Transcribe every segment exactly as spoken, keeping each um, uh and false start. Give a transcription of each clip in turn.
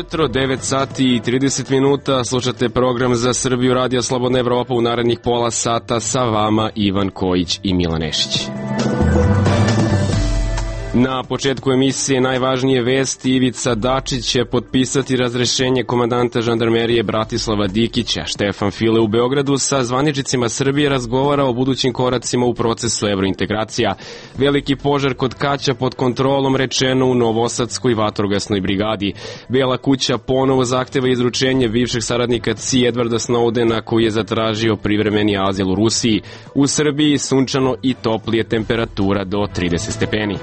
jutro, devet sati i trideset minuta, slušate program za Srbiju Radio Slobodna Evropa. U narednih pola sata sa vama Ivan Kojić i Milan Nešić. Na početku emisije najvažnije vesti. Ivica Dačić će potpisati razrešenje komandanta žandarmerije Bratislava Dikića. Štefan File u Beogradu sa zvaničnicima Srbije razgovara o budućim koracima u procesu evrointegracija. Veliki požar kod Kaća pod kontrolom, rečeno u Novosadskoj vatrogasnoj brigadi. Bela kuća ponovo zahteva izručenje bivšeg saradnika C I A Edwarda Snowdena, koji je zatražio privremeni azil u Rusiji. U Srbiji sunčano i toplije, temperatura do trideset stepeni.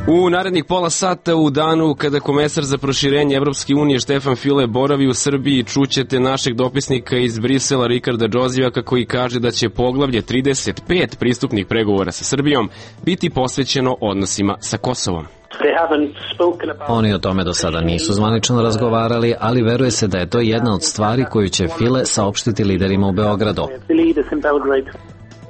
U narednih pola sata, u danu kada komesar za proširenje Evropske unije Štefan File boravi u Srbiji, čućete našeg dopisnika iz Brisela Rikarda Džozivaka, koji kaže da će poglavlje trideset pet pristupnih pregovora sa Srbijom biti posvećeno odnosima sa Kosovom. Oni o tome do sada nisu zvanično razgovarali, ali veruje se da je to jedna od stvari koju će File saopštiti liderima u Beogradu.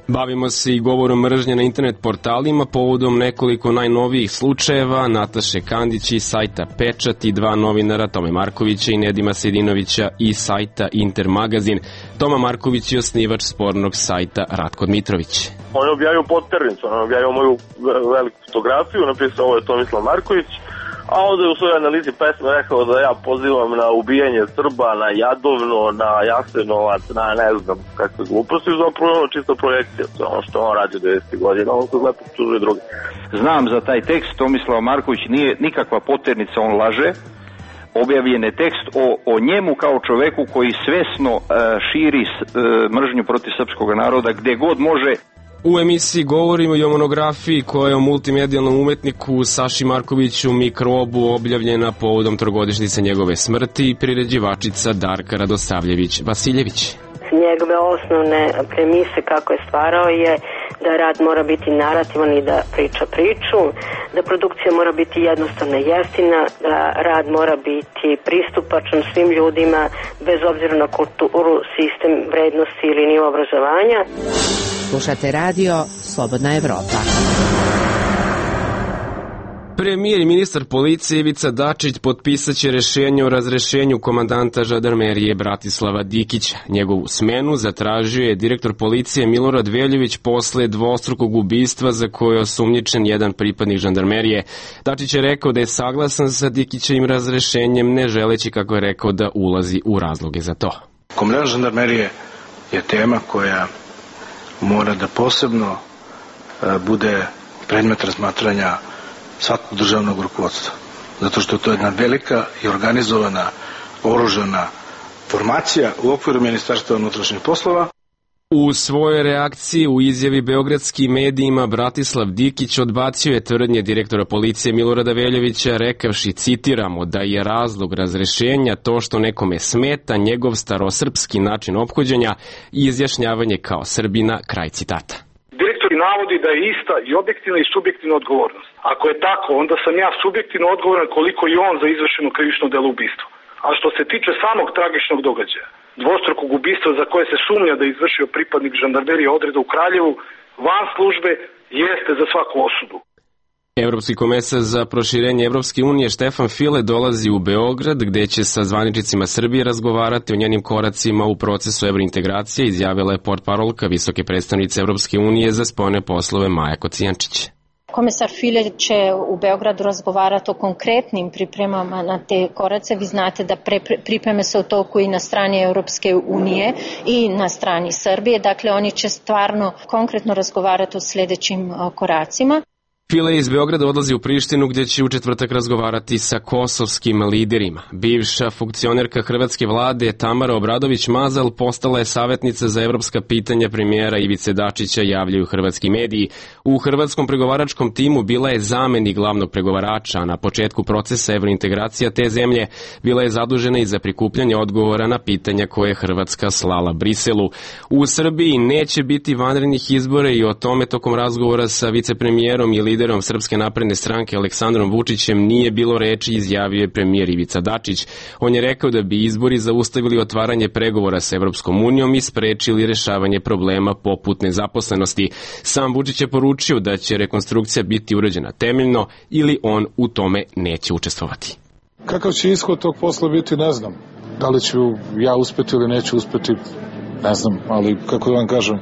Bavimo se i govorom mržnje na internet portalima povodom nekoliko najnovijih slučajeva Nataše Kandić iz sajta Pečat i dva novinara, Tome Markovića i Nedima Sejdinovića iz sajta Intermagazin. Toma Marković je osnivač spornog sajta Ratko Dmitrović. On je objavio podternicu, on je objavio moju veliku fotografiju, napisao ovo je Tomislav Marković, a onda je u svojoj analizi pesme rekao da ja pozivam na ubijanje Srba, na Jadovno, na Jasenovac, na ne znam kakve gluposti, zapravo ono čista projekcija, ono što on radi u devedesetih godina, on se lepo čužuje drugi. Znam za taj tekst, Tomislav Marković nije nikakva poternica, on laže. Objavljen je tekst o, o njemu kao čoveku koji svesno uh, širi uh, mržnju protiv srpskog naroda gde god može. U emisiji govorimo i o monografiji koja je o multimedijalnom umetniku Saši Markoviću Mikrobu objavljena povodom trogodišnjice njegove smrti i priređivačica Darka Radosavljević-Vasiljević. Njegove osnovne premise kako je stvarao je da rad mora biti narativan i da priča priču, da produkcija mora biti jednostavna i jeftina, da rad mora biti pristupačan svim ljudima bez obzira na kulturu, sistem vrednosti ili nivo obrazovanja. Slušate radio Slobodna Evropa. Premijer i ministar policije Ivica Dačić potpisat će rešenje o razrešenju komandanta žandarmerije Bratislava Dikića. Njegovu smenu zatražio je direktor policije Milorad Veljović posle dvostrukog ubistva za koje je osumnjičen jedan pripadnik žandarmerije. Dačić je rekao da je saglasan sa Dikićevim razrešenjem, ne želeći, kako je rekao, da ulazi u razloge za to. Komandant žandarmerije je tema koja mora da posebno bude predmet razmatranja svakog državnog rukovodstva. Zato što to je jedna velika i organizovana oružana formacija u okviru Ministarstva unutrašnjih poslova. U svojoj reakciji u izjavi beogradskim medijima Bratislav Dikić odbacio je tvrdnje direktora policije Milorada Veljovića, rekavši, citiramo, da je razlog razrešenja to što nekome smeta njegov starosrpski način ophođenja i izjašnjavanje kao Srbina, kraj citata. Direktor navodi da je ista i objektivna i subjektivna odgovornost. Ako je tako, onda sam ja subjektivno odgovoran koliko i on za izvršeno krivično delo ubistva. A što se tiče samog tragičnog događaja, dvostrukog ubistva za koje se sumnja da je izvršio pripadnik žandarmerije odreda u Kraljevu, van službe, jeste za svaku osudu. Evropski komesar za proširenje Evropske unije Štefan File dolazi u Beograd, gde će sa zvaničnicima Srbije razgovarati o njenim koracima u procesu evrointegracije, izjavila je portparolka visoke predstavnice Evropske unije za spoljne poslove Maja Kocijančić. Komesar File će u Beogradu razgovarati o konkretnim pripremama na te korace. Vi znate da pre, pripreme se u toku i na strani Europske unije i na strani Srbije. Dakle, oni će stvarno konkretno razgovarati o sljedećim koracima. File iz Beograda odlazi u Prištinu, gdje će u četvrtak razgovarati sa kosovskim liderima. Bivša funkcionerka hrvatske vlade Tamara Obradović-Mazal postala je savjetnica za evropska pitanja premijera Ivice Dačića, javljaju hrvatski mediji. U hrvatskom pregovaračkom timu bila je zamenik glavnog pregovarača, a na početku procesa evrointegracija te zemlje bila je zadužena i za prikupljanje odgovora na pitanja koje je Hrvatska slala Briselu. U Srbiji neće biti vanrednih izbora i o tome tokom razgovora sa vicepremijerom i liderom Srpske napredne stranke Aleksandrom Vučićem nije bilo reči, izjavio je premijer Ivica Dačić. On je rekao da bi izbori zaustavili otvaranje pregovora sa Evropskom unijom i sprečili rešavanje problema poput nezaposlenosti. Sam Vučić je poručio da će rekonstrukcija biti urađena temeljno ili on u tome neće učestvovati. Kakav će ishod tog posla biti, ne znam. Da li ću ja uspeti ili neću uspeti, ne znam, ali kako da vam kažem,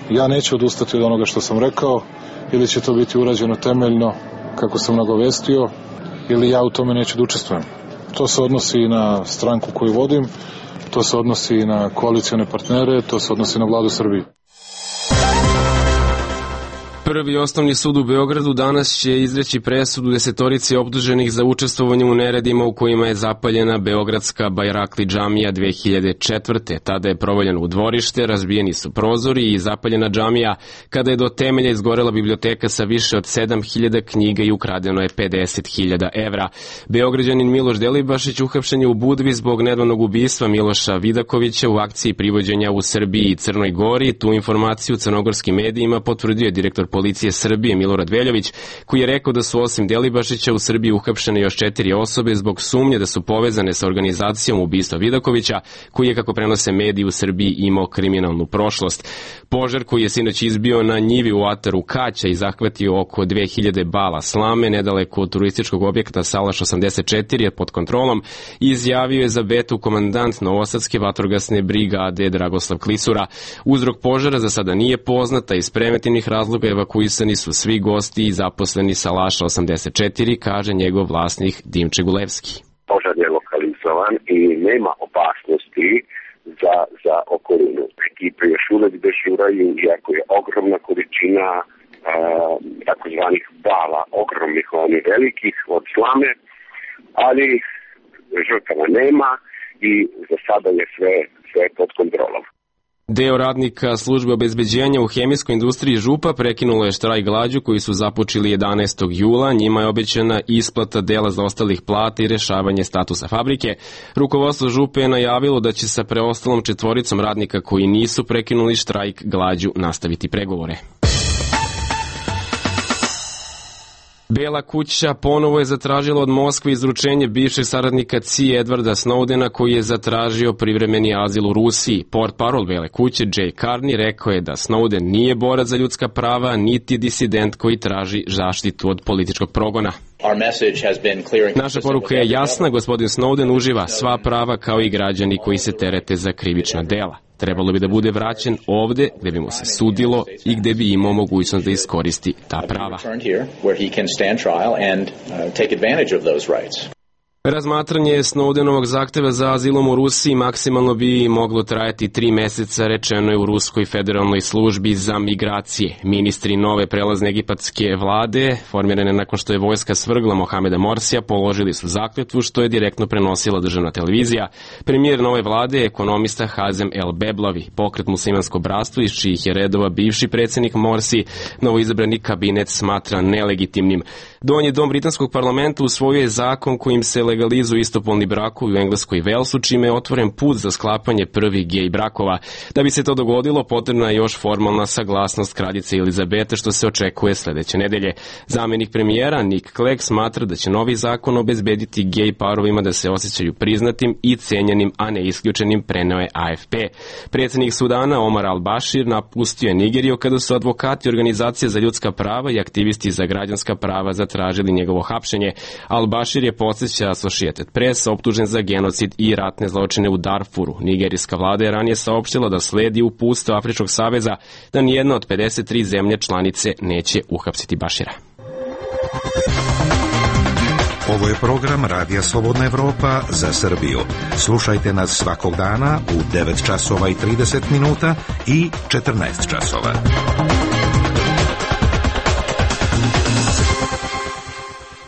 ja neću odustati od onoga što sam rekao, ili će to biti urađeno temeljno, kako sam nagovestio, ili ja u tome neću da učestvujem. To se odnosi i na stranku koju vodim, to se odnosi i na koalicione partnere, to se odnosi na vladu Srbije. Prvi osnovni sud u Beogradu danas će izreći presudu desetorici optuženih za učestvovanje u neredima u kojima je zapaljena beogradska Bajrakli džamija dve hiljade četvrte. Tada je provaljeno u dvorište, razbijeni su prozori i zapaljena džamija kada je do temelja izgorela biblioteka sa više od sedam hiljada knjiga i ukradeno je pedeset hiljada evra. Beograđanin Miloš Delibašić uhapšen je u Budvi zbog nedavnog ubistva Miloša Vidakovića u akciji privođenja u Srbiji i Crnoj Gori. Tu informaciju crnogorskim medijima potvrdio je direktor policije Srbije Milorad Veljović, koji je rekao da su osim Delibašića u Srbiji uhapšene još četiri osobe zbog sumnje da su povezane sa organizacijom ubistva Vidakovića, koji je, kako prenose mediji u Srbiji, imao kriminalnu prošlost. Požar koji je sinoć izbio na njivi u ataru Kaća i zahvatio oko dve hiljade bala slame nedaleko od turističkog objekta Salaš osamdeset četiri je pod kontrolom, izjavio je za Betu komandant Novosadske vatrogasne brigade Dragoslav Klisura. Uzrok požara za sada nije poznata, iz preventivnih razloga evakuisani su svi gosti i zaposleni Salaša osamdeset četiri, kaže njegov vlasnik Dimče Gulevski. Požar je lokalizovan i nema opasnosti za, za okolinu. Ekipe još uvek dežuraju, iako je ogromna količina uh, takozvanih bala, ogromnih, onih velikih od slame, ali žrtava nema i za sada je sve, sve pod kontrolom. Deo radnika službe obezbeđenja u hemijskoj industriji Župa prekinulo je štrajk glađu koji su započeli jedanaestog jula. Njima je obećana isplata dela zaostalih plata i rešavanje statusa fabrike. Rukovodstvo Župe je najavilo da će sa preostalom četvoricom radnika koji nisu prekinuli štrajk glađu nastaviti pregovore. Bela kuća ponovo je zatražila od Moskve izručenje bivšeg saradnika C I A Edwarda Snowdena, koji je zatražio privremeni azil u Rusiji. Portparol Bele kuće Jay Carney rekao je da Snowden nije borac za ljudska prava, niti disident koji traži zaštitu od političkog progona. Naša poruka je jasna, gospodin Snowden uživa sva prava kao i građani koji se terete za krivična dela. Trebalo bi da bude vraćen ovde gde bi mu se sudilo i gde bi imao mogućnost da iskoristi ta prava. Razmatranje Snowdenovog zahteva za azilom u Rusiji maksimalno bi moglo trajati tri meseca, rečeno je u Ruskoj federalnoj službi za migracije. Ministri nove prelazne egipatske vlade, formirane nakon što je vojska svrgla Mohameda Morsija, položili su zakletvu, što je direktno prenosila državna televizija. Premijer nove vlade je ekonomista Hazem El Beblavi. Pokret Muslimansko bratstvo, iz čijih je redova bivši predsjednik Morsi, novoizabrani kabinet smatra nelegitimnim. Donji dom britanskog parlamenta usvojio je zakon kojim se legalizuju istopolni brakovi u Engleskoj i Velsu, čime je otvoren put za sklapanje prvih gej brakova. Da bi se to dogodilo, potrebna je još formalna saglasnost kraljice Elizabete, što se očekuje sledeće nedelje. Zamenik premijera Nick Clegg smatra da će novi zakon obezbediti gej parovima da se osjećaju priznatim i cenjenim, a ne isključenim, preneo je A F P. Predsjednik Sudana Omar al-Bashir napustio je Nigeriju kada su advokati organizacije za ljudska prava i aktivisti za građanska prava zatražili njegovo hapšenje. Al-Bashir je, podsjeća Associated Press, optužen za genocid i ratne zločine u Darfuru. Nigerijska vlada je ranije saopštila da sledi uputstvo Afričkog saveza da nijedna od pedeset tri zemlje članice neće uhapsiti Bašira. Ovo je program Radija Slobodna Evropa za Srbiju. Slušajte nas svakog dana u devet časova i trideset minuta i četrnaest časova.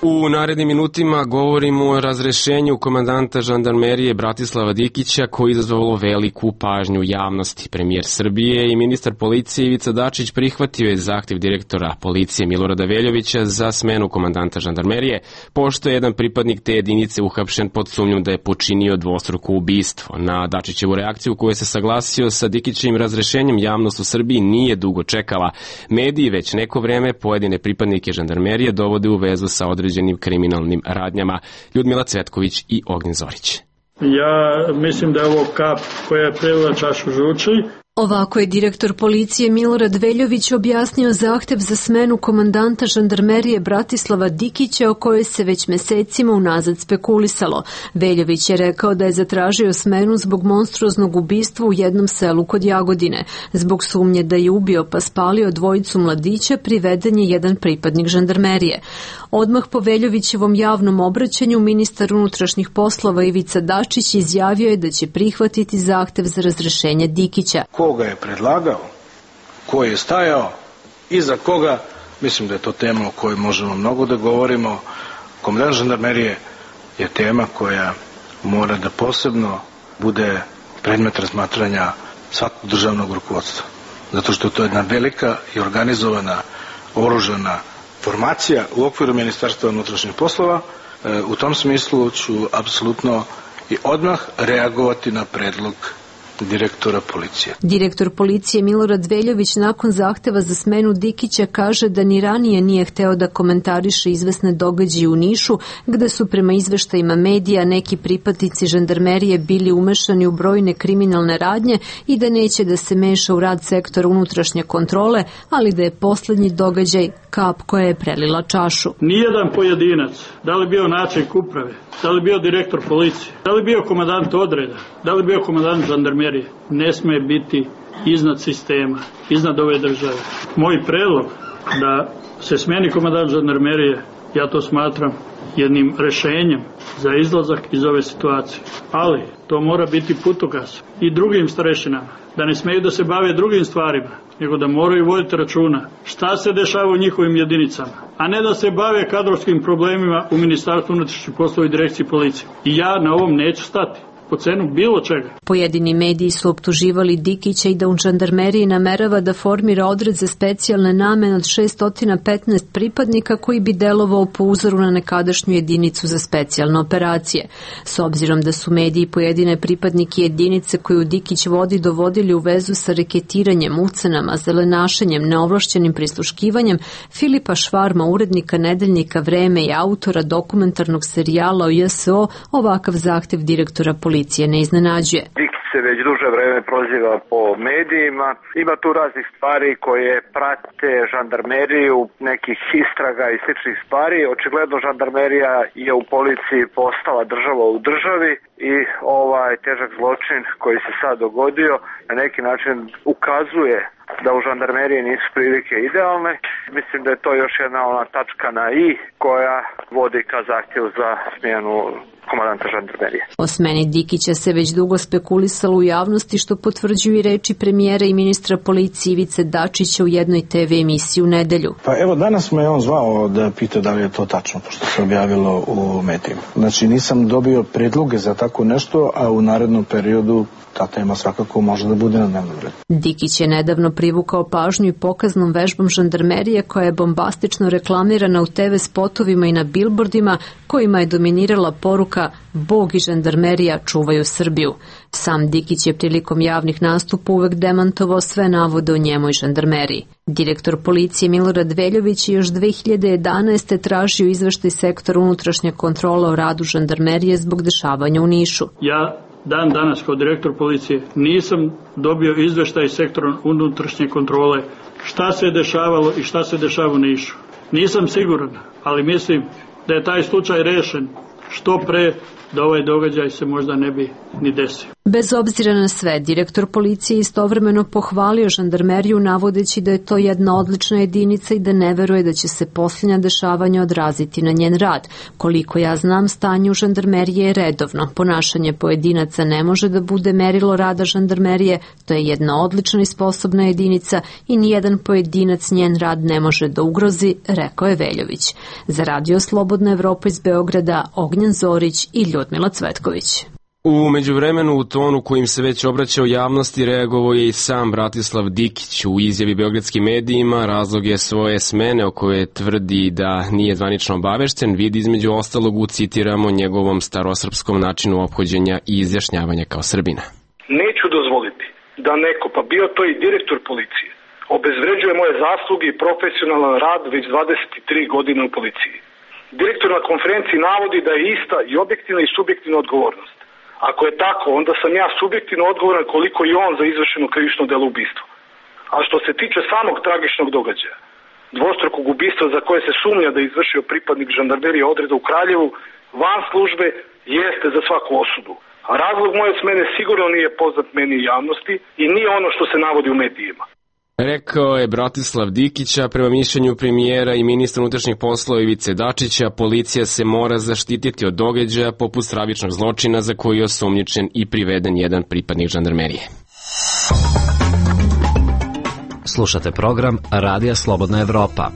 U narednim minutima govorimo o razrešenju komandanta žandarmerije Bratislava Dikića koji izazvalo veliku pažnju javnosti. Premijer Srbije i ministar policije Ivica Dačić prihvatio je zahtev direktora policije Milorada Veljovića za smenu komandanta žandarmerije, pošto je jedan pripadnik te jedinice uhapšen pod sumnjom da je počinio dvostruko ubistvo. Na Dačićevu reakciju koju se saglasio sa Dikićevim razrešenjem javnost u Srbiji nije dugo čekala. Mediji već neko vreme pojedine pripadnike žandarmerije dovode u vezu sa određenim kriminalnim radnjama. Ljudmila Cvetković i Ognjen Zorić. Ja mislim da je ovo kap koja je prelila čašu žuči. Ovako je direktor policije Milorad Veljović objasnio zahtev za smenu komandanta žandarmerije Bratislava Dikića o kojoj se već mesecima unazad spekulisalo. Veljović je rekao da je zatražio smenu zbog monstruoznog ubistva u jednom selu kod Jagodine. Zbog sumnje da je ubio pa spalio dvojicu mladića, priveden je jedan pripadnik žandarmerije. Odmah po Veljovićevom javnom obraćanju ministar unutrašnjih poslova Ivica Dačić izjavio je da će prihvatiti zahtev za razrešenje Dikića. Koga je predlagao, ko je stajao, iza koga, mislim da je to tema o kojoj možemo mnogo da govorimo. Komandant žandarmerije je tema koja mora da posebno bude predmet razmatranja svakog državnog rukovodstva. Zato što to je jedna velika i organizovana oružana formacija u okviru Ministarstva unutrašnjih poslova. U tom smislu ću apsolutno i odmah reagovati na predlog direktora policije. Direktor policije Milorad Veljović nakon zahteva za smenu Dikića kaže da ni ranije nije hteo da komentariše izvesne događaje u Nišu, gde su prema izveštajima medija neki pripadnici žandarmerije bili umešani u brojne kriminalne radnje i da neće da se meša u rad sektora unutrašnje kontrole, ali da je poslednji događaj kap koja je prelila čašu. Nijedan pojedinac, da li bio načelnik uprave, da li bio direktor policije, da li bio komandant odreda, da li bio komandant žandarmerije, ne sme biti iznad sistema, iznad ove države. Moj predlog da se smeni komandant žandarmerije, ja to smatram jednim rešenjem za izlazak iz ove situacije. Ali to mora biti putokaz i drugim starešinama, da ne smeju da se bave drugim stvarima, nego da moraju voditi računa šta se dešava u njihovim jedinicama, a ne da se bave kadrovskim problemima u Ministarstvu unutrašnjih poslova i direkciji policije. I ja na ovom neću stati. Po cenu bilo čega. Pojedini mediji su optuživali Dikića i da u žandarmeriji namerava da formira odred za specijalne namene od šesto petnaest pripadnika koji bi delovao po uzoru na nekadašnju jedinicu za specijalne operacije. S obzirom da su mediji pojedine pripadnike jedinice koju Dikić vodi dovodili u vezu sa reketiranjem, ucenama, zelenašenjem, neovlašćenim prisluškivanjem, Filipa Švarma, urednika nedeljnika Vreme i autora dokumentarnog serijala o J S O, ovakav zahtev direktora policije policije ne iznenađuje. Dikić se već duže vreme proziva po medijima. Ima tu raznih stvari koje prate žandarmeriju, nekih istraga i sličnih stvari. Očigledno žandarmerija je u policiji postala država u državi i ovaj težak zločin koji se sad dogodio na neki način ukazuje da u žandarmeriji nisu prilike idealne. Mislim da je to još jedna ona tačka na i koja vodi ka zahtjevu za smjenu komandanta žandarmerije. O smeni Dikića se već dugo spekulisalo u javnosti, što potvrđuju i reči premijera i ministra policije Ivice Dačića u jednoj te ve emisiji u nedelju. Pa evo, danas me on zvao da pita da li je to tačno, pošto se objavilo u medijima. Znači, nisam dobio predloge za tako nešto, a u narednom periodu ta tema svakako može da bude na dnevnom redu. Dikić je nedavno privukao pažnju i pokaznom vežbom žandarmerije koja je bombastično reklamirana u te ve spotovima i na bilbordima kojima je dominirala poruka Bog i žandarmerija čuvaju Srbiju. Sam Dikić je prilikom javnih nastupa uvek demantovao sve navode o njemu i žandarmeriji. Direktor policije Milorad Veljović je još dve hiljade jedanaeste. tražio izveštaj sektora unutrašnje kontrole o radu žandarmerije zbog dešavanja u Nišu. Ja dan danas kao direktor policije nisam dobio izveštaj sektora unutrašnje kontrole šta se je dešavalo i šta se dešava u Nišu. Nisam siguran, ali mislim da je taj slučaj rešen što pre da ovaj događaj se možda ne bi ni desio. Bez obzira na sve, direktor policije istovremeno pohvalio žandarmeriju navodeći da je to jedna odlična jedinica i da ne veruje da će se posljednja dešavanja odraziti na njen rad. Koliko ja znam, stanje u žandarmeriji je redovno. Ponašanje pojedinaca ne može da bude merilo rada žandarmerije, to je jedna odlična i sposobna jedinica i nijedan pojedinac njen rad ne može da ugrozi, rekao je Veljović. Za Radio Slobodna Evropa iz Beograda, Ognjen Zorić i Ljudmila Cvetković. U međuvremenu, u tonu kojim se već obraćao javnosti, reagovao je i sam Bratislav Dikić. U izjavi beogradskim medijima razlog je svoje smene o kojoj tvrdi da nije zvanično obavešten, vidi između ostalog u, citiramo, njegovom starosrpskom načinu ophođenja i izjašnjavanja kao Srbina. Neću dozvoliti da neko, pa bio to i direktor policije, obezvređuje moje zasluge i profesionalan rad već dvadeset tri godine u policiji. Direktor na konferenciji navodi da je ista i objektivna i subjektivna odgovornost. Ako je tako, onda sam ja subjektivno odgovoran koliko i on za izvršeno krivično delo ubistvo. A što se tiče samog tragičnog događaja, dvostrukog ubistva za koje se sumnja da je izvršio pripadnik žandarmerije odreda u Kraljevu, van službe, jeste za svaku osudu. A razlog moje smene sigurno nije poznat meni i javnosti i nije ono što se navodi u medijima. Rekao je Bratislav Dikića. Prema mišljenju premijera i ministra unutrašnjih poslova Ivice Dačića, policija se mora zaštititi od događaja poput stravičnog zločina za koji je osumnjičen i priveden jedan pripadnik žandarmerije. Slušate program Radija Slobodna Evropa.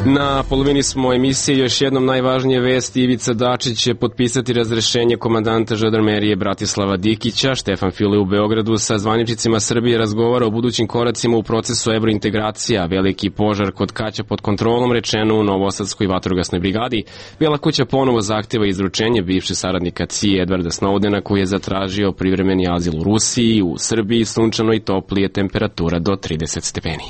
Na polovini smo emisije, još jednom najvažnije vesti. Ivica Dačić će potpisati razrešenje komandanta žandarmerije Bratislava Dikića. Štefan File u Beogradu sa zvaničnicima Srbije razgovara o budućim koracima u procesu evrointegracija. Veliki požar kod Kaća pod kontrolom, rečeno u Novosadskoj vatrogasnoj brigadi. Bela kuća ponovo zahteva izručenje bivše saradnika C I A Edwarda Snowdena, koji je zatražio privremeni azil u Rusiji. U Srbiji sunčano i toplije, temperatura do trideset stepeni.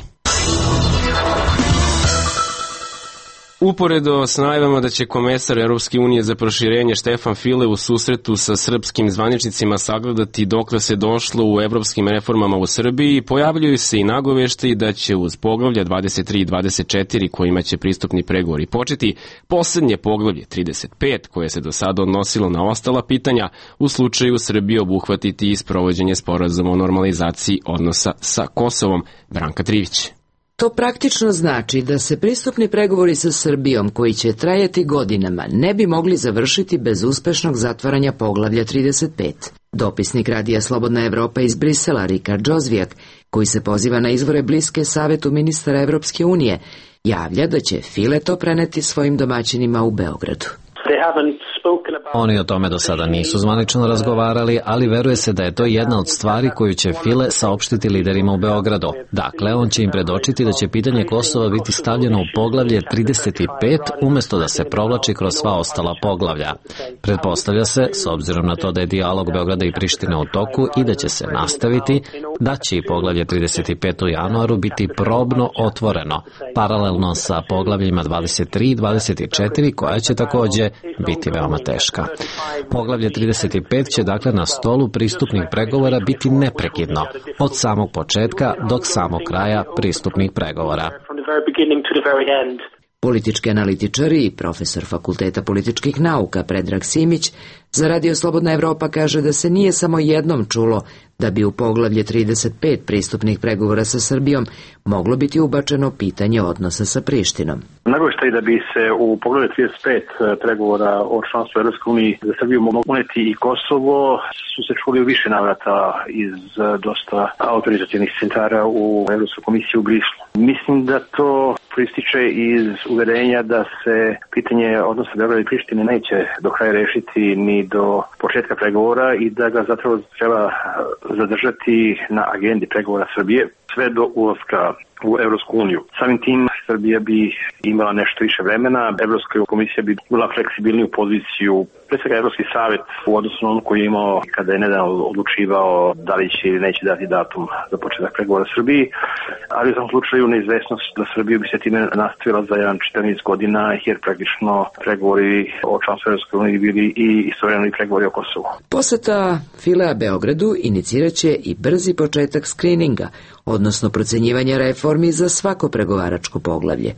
Uporedo s najavama da će komesar Europske unije za proširenje Štefan File u susretu sa srpskim zvaničnicima sagledati dokle se došlo u evropskim reformama u Srbiji, pojavljuju se i nagoveštaji da će uz poglavlja dvadeset tri i dvadeset četiri kojima će pristupni pregovori početi, poslednje poglavlje trideset pet koje se do sada odnosilo na ostala pitanja u slučaju Srbije obuhvatiti i sprovođenje sporazuma o normalizaciji odnosa sa Kosovom. Branka Trivić. To praktično znači da se pristupni pregovori sa Srbijom, koji će trajati godinama, ne bi mogli završiti bez uspešnog zatvaranja poglavlja trideset pet. Dopisnik Radija Slobodna Evropa iz Brisela, Rikard Džozvijak, koji se poziva na izvore bliske savetu ministara Evropske unije, javlja da će File to preneti svojim domaćinima u Beogradu. Oni o tome do sada nisu zvanično razgovarali, ali veruje se da je to jedna od stvari koju će File saopštiti liderima u Beogradu. Dakle, on će im predočiti da će pitanje Kosova biti stavljeno u poglavlje trideset pet umesto da se provlači kroz sva ostala poglavlja. Pretpostavlja se, s obzirom na to da je dijalog Beograda i Prištine u toku i da će se nastaviti, da će i poglavlje trideset pet u januaru biti probno otvoreno, paralelno sa poglavljima dvadeset tri i dvadeset četiri koja će takođe biti veoma teška. Poglavlje trideset pet će dakle na stolu pristupnih pregovora biti neprekidno, od samog početka do samog kraja pristupnih pregovora. Politički analitičari i profesor Fakulteta političkih nauka Predrag Simić za Radio Slobodna Evropa kaže da se nije samo jednom čulo da bi u poglavlje trideset pet pristupnih pregovora sa Srbijom moglo biti ubačeno pitanje odnosa sa Prištinom. Nagoveštaj da bi se u poglavlju trideset pet pregovora o članstvu Evropske unije za Srbiju moglo uneti i Kosovo su se čuli u više navrata iz dosta autorizativnih centara u Evropskoj komisiji u Brislu. Mislim da to proističe iz uverenja da se pitanje odnosa Beograda i Prištine neće do kraja rešiti ni do početka pregovora i da ga zapravo treba zadržati na agendi pregovora Srbije sve do ulaska u Evropsku uniju. Samim tim Srbija bi imala nešto više vremena, Evropska komisija bi bila fleksibilniju poziciju, pre svega Evropski savet u odnosu na ono koji je imao kada je nedavno odlučivao da li će ili neće dati datum za početak pregovora Srbiji, ali u tom slučaju neizvesnost da Srbija bi se time nastavila za jedan četrnaest godina jer praktično pregovori o članstvu Evropske unije bili i istovremeno i pregovori o Kosovu. Poseta Filea Beogradu iniciraće i brzi početak skrininga, odnosno procenjivanja reformi za svako pregovaračko poglavlje.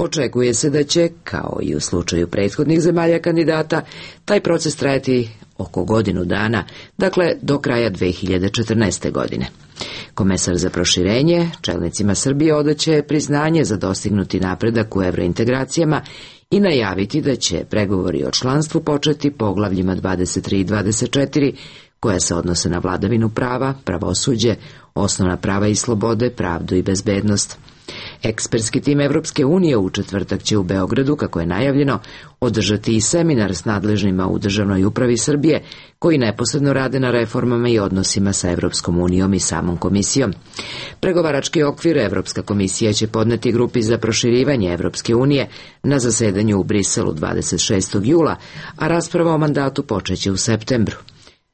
Očekuje se da će, kao i u slučaju prethodnih zemalja kandidata, taj proces trajati oko godinu dana, dakle do kraja dve hiljade četrnaeste. godine. Komesar za proširenje čelnicima Srbije odaće priznanje za dostignuti napredak u evrointegracijama i najaviti da će pregovori o članstvu početi poglavljima dvadeset tri i dvadeset četiri, koja se odnose na vladavinu prava, pravosuđe, osnovna prava i slobode, pravdu i bezbednost. Ekspertski tim Evropske unije u četvrtak će u Beogradu, kako je najavljeno, održati i seminar s nadležnima u državnoj upravi Srbije, koji neposredno rade na reformama i odnosima sa Evropskom unijom i samom komisijom. Pregovarački okvir Evropska komisija će podneti grupi za proširivanje Evropske unije na zasedanju u Briselu dvadeset šestog jula, a rasprava o mandatu počeće u septembru.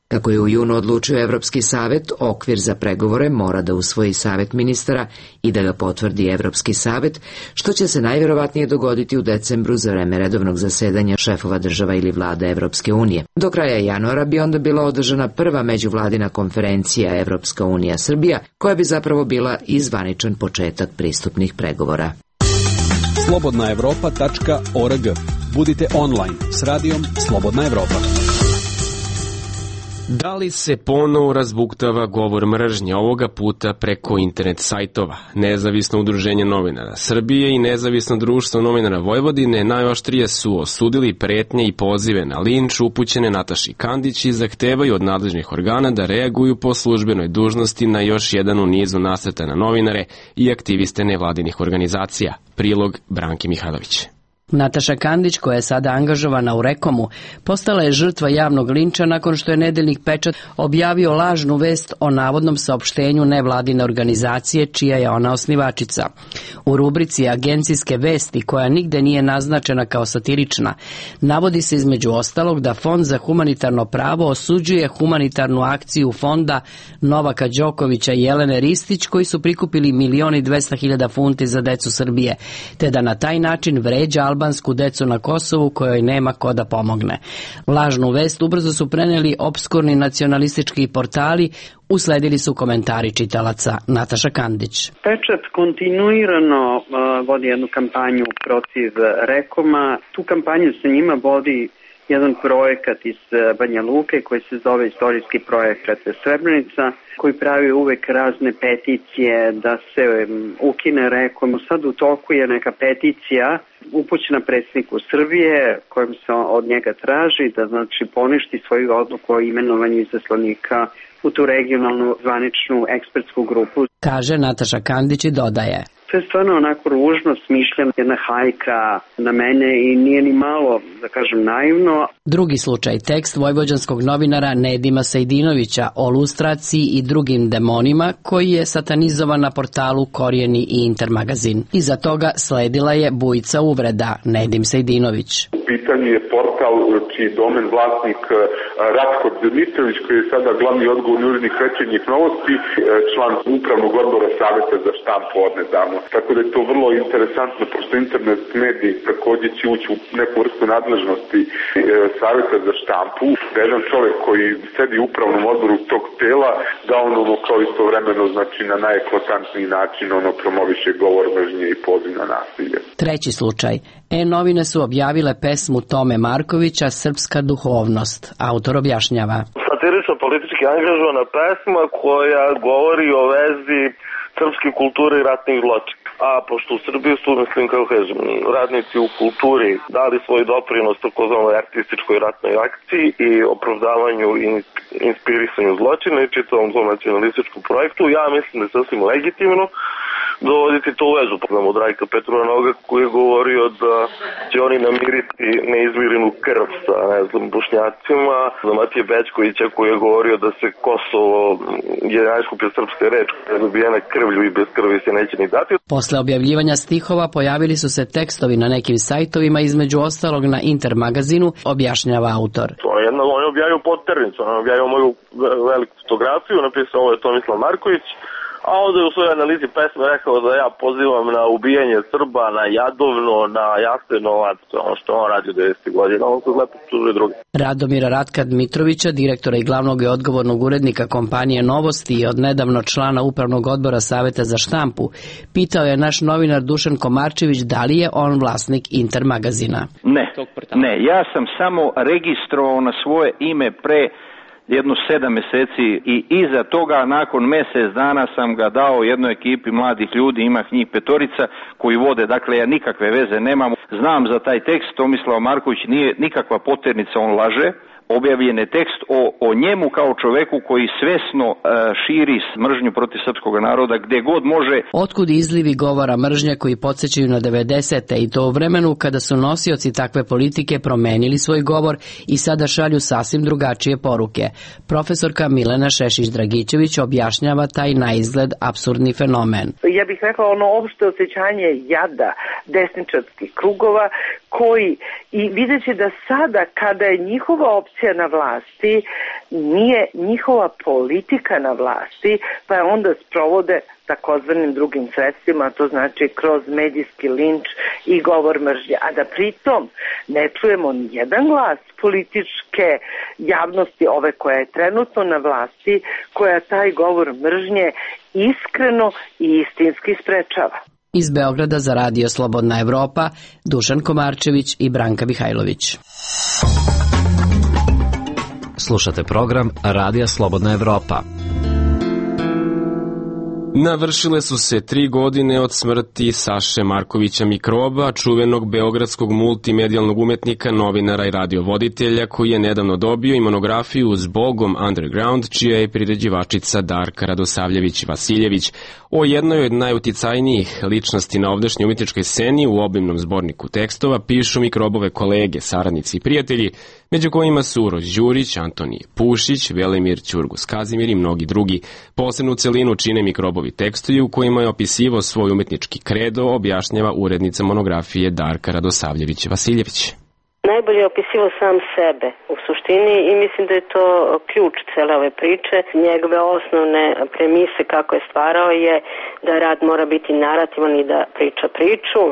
Kako je u junu odlučio Evropski savet, okvir za pregovore mora da usvoji Savet ministara i da ga potvrdi Evropski savet, što će se najvjerovatnije dogoditi u decembru za vreme redovnog zasedanja šefova država ili vlada Evropske unije. Do kraja januara bi onda bila održana prva međuvladina konferencija Evropska unija Srbija, koja bi zapravo bila i zvaničan početak pristupnih pregovora. slobodna evropa tačka org. Budite online s radijom Slobodna Evropa. Da li se ponovo razbuktava govor mržnje, ovoga puta preko internet sajtova? Nezavisno udruženje novinara Srbije i Nezavisno društvo novinara Vojvodine najoštrije su osudili pretnje i pozive na linč upućene Nataši Kandić i zahtevaju od nadležnih organa da reaguju po službenoj dužnosti na još jedan u nizu nasrta na novinare i aktiviste nevladinih organizacija. Prilog Branke Mihajlović. Nataša Kandić, koja je sada angažovana u Rekomu, postala je žrtva javnog linča nakon što je nedeljnik Pečat objavio lažnu vest o navodnom saopštenju nevladine organizacije čija je ona osnivačica. U rubrici agencijske vesti, koja nigde nije naznačena kao satirična, navodi se između ostalog da Fond za humanitarno pravo osuđuje humanitarnu akciju fonda Novaka Đokovića i Jelene Ristić, koji su prikupili milion i dvesta hiljada funti za decu Srbije, te da na taj način vređa albansku decu na Kosovu kojoj nema ko da pomogne. Lažnu vest ubrzo su preneli opskurni nacionalistički portali, usledili su komentari čitalaca. Nataša Kandić. Pečat kontinuirano uh, vodi jednu kampanju protiv Rekoma. Tu kampanju sa njima vodi jedan projekat iz Banja Luke koji se zove Istorijski projekat Srebrenica, koji pravi uvek razne peticije da se ukine Rekom. Sad u toku je neka peticija upućena predsjedniku Srbije kojom se od njega traži da znači poništi svoju odluku o imenovanju izaslanika u tu regionalnu zvaničnu ekspertsku grupu. Kaže Nataša Kandić i dodaje. To je stvarno onako ružno, smišljam, jedna hajka na mene i nije ni malo, da kažem, naivno. Drugi slučaj, tekst vojvođanskog novinara Nedima Sejdinovića o lustraciji i drugim demonima, koji je satanizovan na portalu Korijeni i Intermagazin. Iza toga sledila je bujica uvreda Nedim Sejdinović. U pitanju je portal čiji domen vlasnik Ratko Dmitrović, koji je sada glavni odgovorni urednik Večernjih novosti, član upravnog odbora Saveta za štampu odnedavno. Tako da je to vrlo interesantno, pošto internet mediji također će ući u neku vrstu nadležnosti e, Saveta za štampu, da jedan čovjek koji sedi u upravnom odboru tog tela, da on ono kao istovremeno znači na najeklatantniji način ono promoviše govor mržnje i poziv na nasilje. Treći slučaj. E-novine su objavile pesmu Tome Markovića Srpska duhovnost. Autor objašnjava. Satirično politički angažovana pesma koja govori o vezi srpske kulture i ratnih zločina. A pošto u Srbiji su, mislim, kako kažem, radnici u kulturi dali svoj doprinos takozvanoj artističkoj ratnoj akciji i opravdavanju i inspirisanju zločina i čitavom tom nacionalističkom projektu, ja mislim da je sasvim legitimno dovoditi to u vezu. Pogledamo od Rajka Petrova koji je govorio da će oni namiriti neizmirenu krv sa, ne znam, Bošnjacima, za Matije Bećkovića koji je govorio da se Kosovo je najskuplja srpska reč koja je dobijena krvlju i bez krvi se neće ni dati. Posle objavljivanja stihova pojavili su se tekstovi na nekim sajtovima, između ostalog na Intermagazinu, objašnjava autor. To je jedna, on je objavio podternicu, on je objavio moju veliku fotografiju, napisao ovo je Tomislav Marković, a onda je u svojoj analizi pesme rekao da ja pozivam na ubijanje Srba, na Jadovno, na Jasenovac, ono što on radi u devedesetih godina, on se lepo čuže drugi. Radomira Ratka Dmitrovića, direktora i glavnog i odgovornog urednika kompanije Novosti i od nedavno člana upravnog odbora Saveta za štampu, pitao je naš novinar Dušan Komarčević da li je on vlasnik Intermagazina. Ne, ne, ja sam samo registrovao na svoje ime pre jedno sedam meseci i iza toga nakon mesec dana sam ga dao jednoj ekipi mladih ljudi, ima njih petorica koji vode, dakle ja nikakve veze nemam. Znam za taj tekst, Tomislav Marković nije nikakva poternica, on laže. Objavljen je tekst o, o njemu kao čoveku koji svesno e, širi mržnju protiv srpskog naroda gde god može. Otkud izlivi govora mržnje koji podsjećaju na devedesete i to u vremenu kada su nosioci takve politike promenili svoj govor i sada šalju sasvim drugačije poruke. Profesorka Milena Šešić-Dragićević objašnjava taj naizgled apsurdni fenomen. Ja bih rekla ono opšte osjećanje jada desničarskih krugova koji, i videći da sada kada je njihova opcija na vlasti, nije njihova politika na vlasti, pa je onda sprovode takozvanim drugim sredstvima, to znači kroz medijski linč i govor mržnje, a da pritom ne čujemo ni jedan glas političke javnosti, ove koja je trenutno na vlasti, koja taj govor mržnje iskreno i istinski sprečava. Iz Beograda za Radio Slobodna Evropa, Dušan Komarčević i Branka Mihajlović. Slušate program Radija Slobodna Evropa. Navršile su se tri godine od smrti Saše Markovića Mikroba, čuvenog beogradskog multimedijalnog umetnika, novinara i radiovoditelja, koji je nedavno dobio i monografiju Zbogom Underground, čija je priređivačica Darka Radosavljević-Vasiljević. O jednoj od najuticajnijih ličnosti na ovdašnjoj umjetničkoj sceni u obimnom zborniku tekstova pišu Mikrobove kolege, saradnici i prijatelji, među kojima su Uroš Đurić, Antonije Pušić, Velimir Ćurgus Kazimir i mnogi drugi. Posebnu celinu čine Mikrobovi tekstovi u kojima je opisivao svoj umetnički kredo, objašnjava urednica monografije Darka Radosavljević-Vasiljević. Najbolje je opisivao sam sebe u suštini i mislim da je to ključ cele ove priče. Njegove osnovne premise kako je stvarao je da rad mora biti narativan i da priča priču,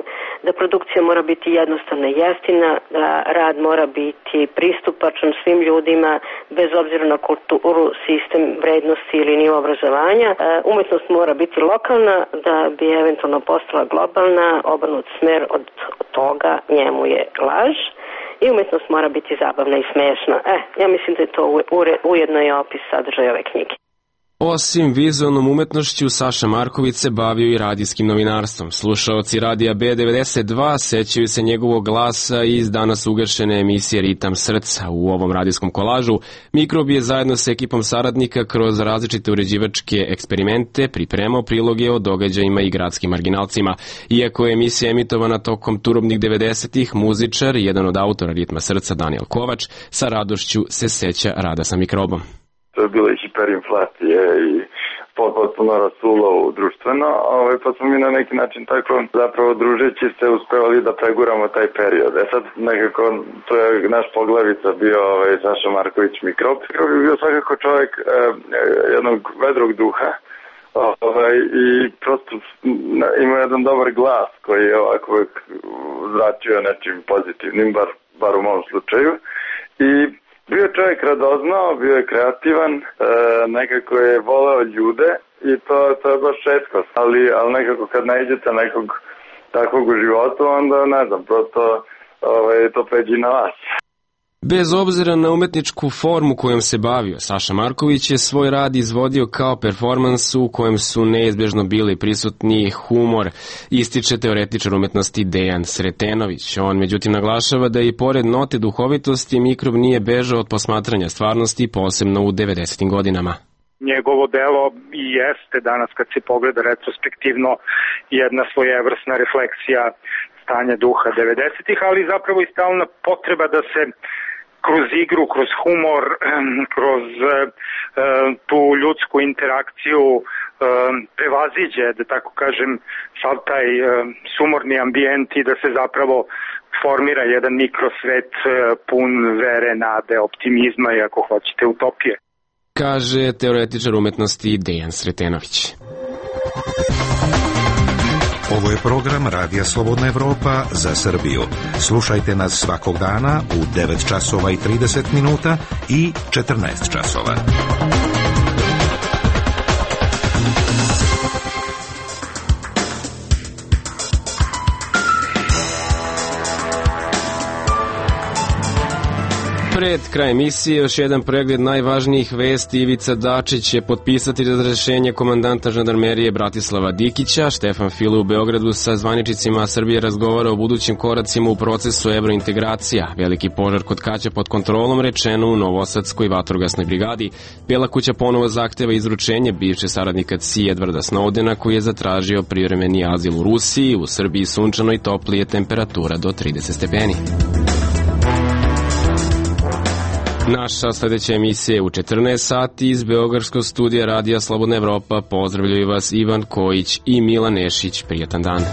da produkcija mora biti jednostavna i jeftina, da rad mora biti pristupačan svim ljudima bez obzira na kulturu, sistem vrednosti ili nivo obrazovanja. Umetnost mora biti lokalna da bi eventualno postala globalna, obrnut smer od toga njemu je laž. I umetnost mora biti zabavna i smešna. E, ja mislim da je to ujedno i opis sadržaja ove knjige. Osim vizualnom umetnošću, Saša Marković se bavio i radijskim novinarstvom. Slušaoci Radija B devedeset dva sećaju se njegovog glasa iz danas ugašene emisije Ritam srca. U ovom radijskom kolažu Mikrob je zajedno sa ekipom saradnika kroz različite uređivačke eksperimente pripremao priloge o događajima i gradskim marginalcima. Iako je emisija emitovana tokom turobnih devedesetih, muzičar, jedan od autora Ritma srca Daniel Kovač, sa radošću se seća rada sa Mikrobom. To je bilo i hiperinflacije i potpuno rasulo društveno, ovaj, pa smo mi na neki način tako zapravo družeći se uspevali da preguramo taj period. E sad nekako to je naš poglavica bio ovaj, Saša Marković Mikrob. Mikrob je bio svakako čovjek eh, jednog vedrog duha ovaj, i prosto ima jedan dobar glas koji je ovako zračio nečim pozitivnim, bar, bar u mom slučaju. I bio je čovjek radoznao, bio je kreativan, e, nekako je voleo ljude i to, to je baš šetko. Ali, ali nekako kad nađete nekog takvog u životu, onda ne znam, prosto ovaj, to pređi na vas. Bez obzira na umetničku formu kojom se bavio, Saša Marković je svoj rad izvodio kao performans u kojem su neizbježno bili prisutni humor, ističe teoretičar umetnosti Dejan Sretenović. On međutim naglašava da i pored note duhovitosti Mikrob nije bežao od posmatranja stvarnosti, posebno u devedesetim godinama. Njegovo delo i jeste danas kad se pogleda retrospektivno jedna svojevrsna refleksija stanja duha devedesetih, ali zapravo i stalna potreba da se kroz igru, kroz humor, kroz tu ljudsku interakciju prevaziđe, da tako kažem, sav taj sumorni ambijent i da se zapravo formira jedan mikrosvet pun vere, nade, optimizma i ako hoćete utopije. Kaže teoretičar umetnosti Dejan Sretenović. Ovo je program Radija Slobodna Evropa za Srbiju. Slušajte nas svakog dana u devet časova i trideset minuta i četrnaest časova. Pred kraj emisije još jedan pregled najvažnijih vesti. Ivica Dačić će potpisati razrešenje komandanta žandarmerije Bratislava Dikića. Štefan File u Beogradu sa zvaničnicima Srbije razgovara o budućim koracima u procesu evrointegracija. Veliki požar kod Kaća pod kontrolom, rečeno u Novosadskoj vatrogasnoj brigadi. Bela kuća ponovo zahteva izručenje bivše saradnika C I A Edwarda Snowdena, koji je zatražio privremeni azil u Rusiji. U Srbiji sunčano i toplije, temperatura do trideset stepeni. Naša sledeća emisija je u četrnaest sati iz Beogradskog studija Radija Slobodna Evropa. Pozdravljaju vas Ivan Kojić i Milan Nešić. Prijatan dan.